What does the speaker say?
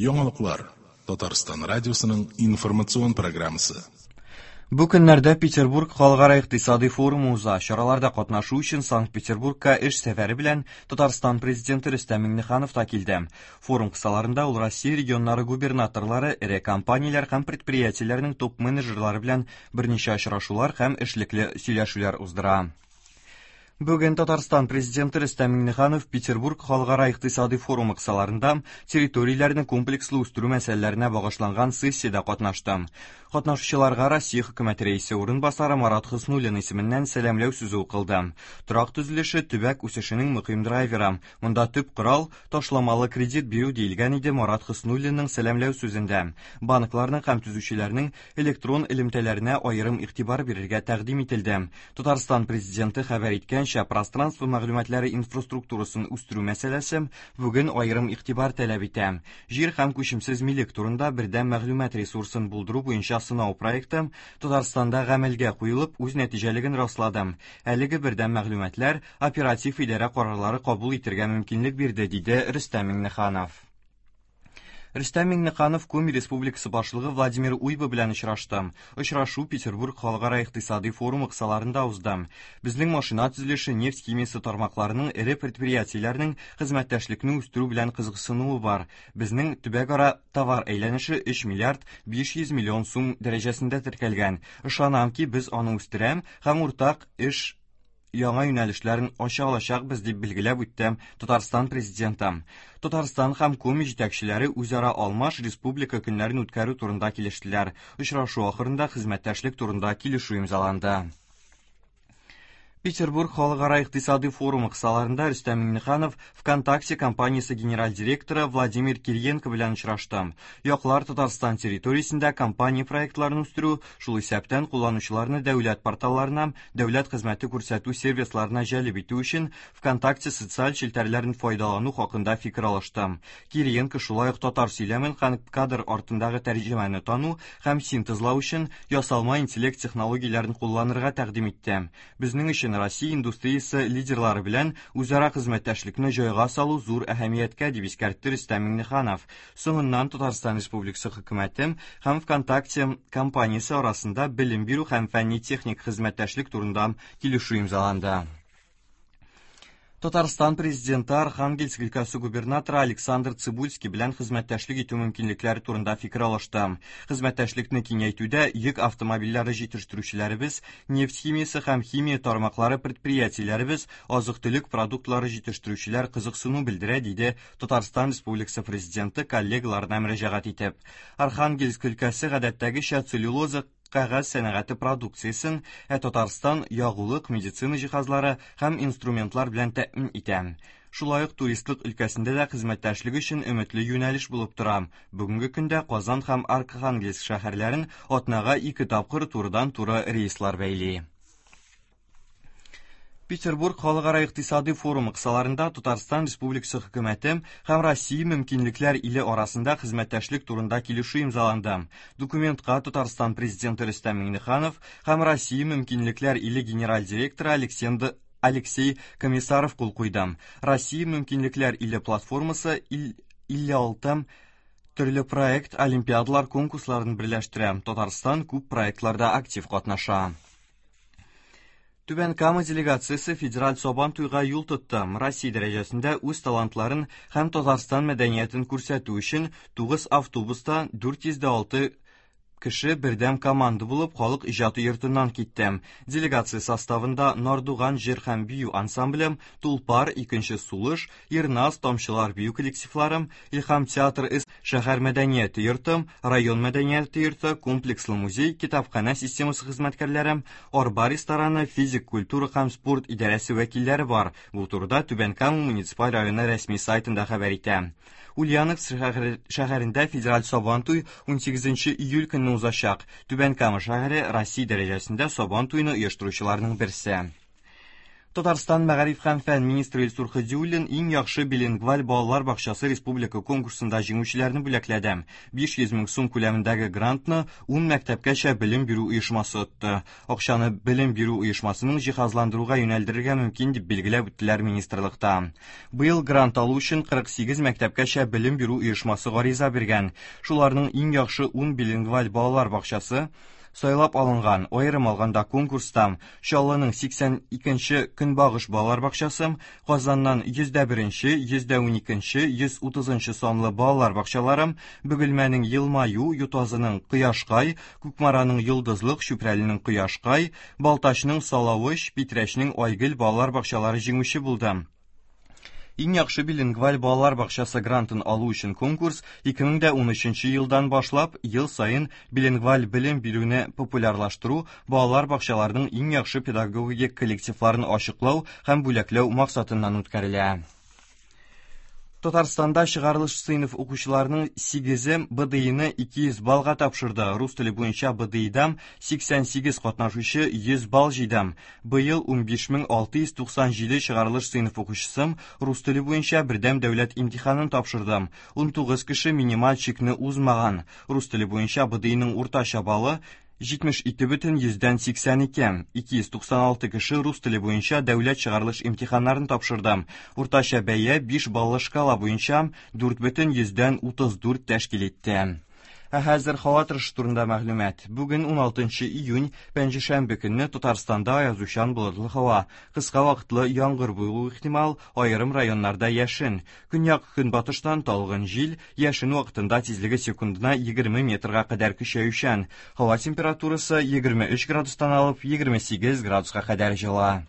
Яңалыклар. Татарстан радиосының информацион программасы. Бу көннәрдә Петербург халыкара икътисади форумы уза. Чараларда катнашу өчен Санкт-Петербургка эш сәфәре белән Татарстан президенты Рөстәм Миңнеханов та килде. Форум кысаларында ул Россия регионнары губернаторлары, эре компанияләр һәм предприятиеләрнең топ-менеджерлары белән берничә очрашулар һәм эшлекле сөйләшүләр уздыра. Бүген Татарстан президенты Рөстәм Миңнеханов Петербург халыкара икътисади форумы кысаларында территорияләрне комплекслы үстерү мәсьәләләренә багышланган сессиядә катнашты. Катнашучыларга Россия хөкүмәте рәисе урынбасары Марат Хөснуллин исеменнән сәламләү сүзе укылды. Торак төзелеше төбәк үсешенең мөһим драйверы. Монда төп корал ташламалы кредит бирү диелгән иде Марат Хөснуллинның сәламләү сүзендә. Банкларның һәм төзүчеләрнең электрон элемтәләренә аерым игътибар бирергә тәкъдим ителде. Татарстан президенты хәбәр иткәнчә, пространство мәгълүматлары инфраструктурасын үстерү мәсьәләсе бүген аерым игътибар таләп итә. Җир һәм күчемсез милек турында бердәм мәгълүмат ресурсын булдыру буенча сынау проекты Татарстанда гамәлгә куелып, үз нәтиҗәлеген раслады. Әлеге бердәм мәгълүматлар оператив идарә карарлары кабул итергә мөмкинлек бирде, диде Рөстәм Миңнеханов. Рөстәм Миңнеханов Коми Республикасы башлыгы Владимир Уйба белән очрашты. Очрашу Петербург халыкара икътисади форумы кысаларында узды. Безнең машина төзелеше, нефть химиясе тармакларының эре предприятиеләренең хезмәттәшлекне үстерү белән кызыксынуы бар. Безнең төбәкара товар әйләнеше 3 миллиард 500 миллион сум дәрәҗәсендә теркәлгән. Ышанам ки, без аны үстерәм һәм уртак эш яңа юнәлешләрен ача алачакбыз, дип билгеләп үтте Татарстан президенты. Татарстан һәм Коми җитәкчеләре үзара алмаш республика көннәрен үткәрү турында килештеләр. Очрашу ахырында хезмәттәшлек турында килешү имзаланды. Петербург халыкара икътисади форумы кысаларында Рөстәм Миңнеханов ВКонтакте компаниясе генераль директоры Владимир Кириенко белән очрашты. Яклар Татарстан территориясендә компания проектларын үстерү, шул исәптән кулланучыларны дәүләт порталларына, дәүләт хезмәте күрсәтү сервисларына җәлеп итү өчен ВКонтакте социаль челтәрләрен файдалану хакында фикер алышты. Кириенко шулай ук татар сөйләмен һәм кадр артындагы тәрҗемәне тану һәм синтезлау өчен ясалма интеллект технологияләрен кулланырга тәкъдим итте. Безнең өчен Россия индустриясе лидерлары белән үзара хезмәттәшлекне җайга салу зур әһәмияткә, дип искәртте Рөстәм Миңнеханов. Соңыннан Татарстан Республикасы хөкүмәте һәм ВКонтакте компаниясе арасында белем бирү һәм фәнни-техник хезмәттәшлек турында килешү имзаланды. Татарстан президенты Архангельск өлкәсе губернаторы Александр Цибульский белән хезмәттәшлек итү мөмкинлекләре турында фикер алышты. Хезмәттәшлекне киңәйтүдә йөк автомобильләре җитештерүчеләребез, нефть химиясе һәм химия тармаклары предприятиеләребез, азык-төлек продуктлары җитештерүчеләр кызыксыну белдерә, диде Татарстан Республикасы президенты коллегаларына мөрәҗәгать итеп. Архангельск өлкәсе гадәттәгечә целлюлоза кәгазь сәнәгате продукциясен, ә Татарстан ягулык, медицина җиһазлары һәм инструментлар белән тәэмин итә. Шулай ук туристлык өлкәсендә дә хезмәттәшлек өчен өметле юнәлеш булып тора. Бүгенге көндә Казан һәм Архангельск шәһәрләрен атнага ике тапкыр турыдан-туры рейслар бәйли. Петербург халыкара икътисади форумы кысаларында Татарстан Республикасы хөкүмәте һәм Россия мөмкинлекләр иле арасында хезмәттәшлек турында килешү имзаланды. Документка Татарстан президенты Рөстәм Миңнеханов һәм Россия мөмкинлекләр иле генераль директоры Александр Алексей Комиссаров кул куйды. Россия мөмкинлекләр иле платформасы 56 төрле проект, олимпиадалар, конкурсларын берләштерә. Татарстан күп проектларда актив катнаша. Түбән Кама делегациясе федераль Сабан туйга юл тотты. Россия дәрәҗәсендә үз талантларын һәм Татарстан мәдәниятен күрсәтү өчен 9 автобуста 406 кеше бердәм команда булып халык иҗаты йортыннан китте. Делегация составында Нардуган җыр һәм бию ансамбле, Тулпар, Икенче сулыш, Ирназ, Тамчылар бию коллективлары, Илһам театр эс шәһәр мәдәнияте йорты, район мәдәнияте йорты, комплекслы музей, китапханә системасы хезмәткәрләре, Арба рестораны, физик культура һәм спорт идарәсе вәкилләре бар. Бу турыда Түбән Кама муниципаль районы рәсми сайтында хәбәр итә. Ульяновск шәһәрендә федераль Сабантуй 18 июль көнне узачак. Түбән Кама шәһәре Россия дәрәҗәсендә Сабан туйны оештыручыларның берсе. Татарстан мәгариф һәм фән министры Илсур Һадиуллин иң яхшы билингваль балалар бакчасы республика конкурсында җиңүчеләрне бүләкләде. 500 мең сум күләмендәге грантны 10 мәктәпкәчә белем бирү оешмасы отты. Акчаны белем бирү оешмасының җиһазландыруга юнәлдерергә мөмкин дип билгеләп үттеләр министрлыкта. Быел грант алу өчен 48 мәктәпкәчә белем бирү оешмасы гариза биргән. Шуларның иң яхшы 10 билингваль балалар бакчасы сайлап алынган. Аерым алганда конкурста Чаллының 82нче Көнбагыш балалар бакчасы, Казаннан 101нче, 112нче, 130нчы санлы балалар бакчалары, Бөгелмәнең Елмаю, Ютазының Кояшкай, Кукмараның Йолдызлык, Чүпрәленең Кояшкай, Балтачның Салавыч, Питрәчнең Айгөл балалар бакчалары җиңүче булды. Иң яхшы билингваль балалар бакчасы грантын алу өчен конкурс 2013 елдан башлап ел саен билингваль белем бирүне популярлаштыру, балалар бакчаларының иң яхшы педагогик коллективларын ачыклау һәм бүләкләү максатыннан үткәрелә. Татарстанда чыгарылыш сыйныф укучыларының 8-е БДИны 200 баллга тапшырды. Рус теле буенча БДИда 88 катнашучы 100 балл җыйды. Быел 15697 чыгарылыш сыйныф укучысы рус теле буенча бердәм дәүләт имтиханын тапшырды. 19 кеше минималь чикне узмаган. Рус теле буенча БДИның уртача баллы 72,82. 296 кеше рус теле буенча дәүләт чыгарылыш имтиханнарын тапшырды. Уртача бәя 5 баллы шкала буенча 4,34 тәшкил итте. Ә хәзер һава торышы турында мәгълүмат. Бүген 16 июнь, пәнҗешәмбе көнне Татарстанда аязучан болытлы һава. Кыска вакытлы яңгыр булу ихтимал, аерым районнарда яшен. Көньяк көнбатыштан талгын җил, яшен вакытында тизлеге секундына 20 метрга кадәр көчәючән. Һава температурасы 23 градустан алып 28 градуска кадәр җылы.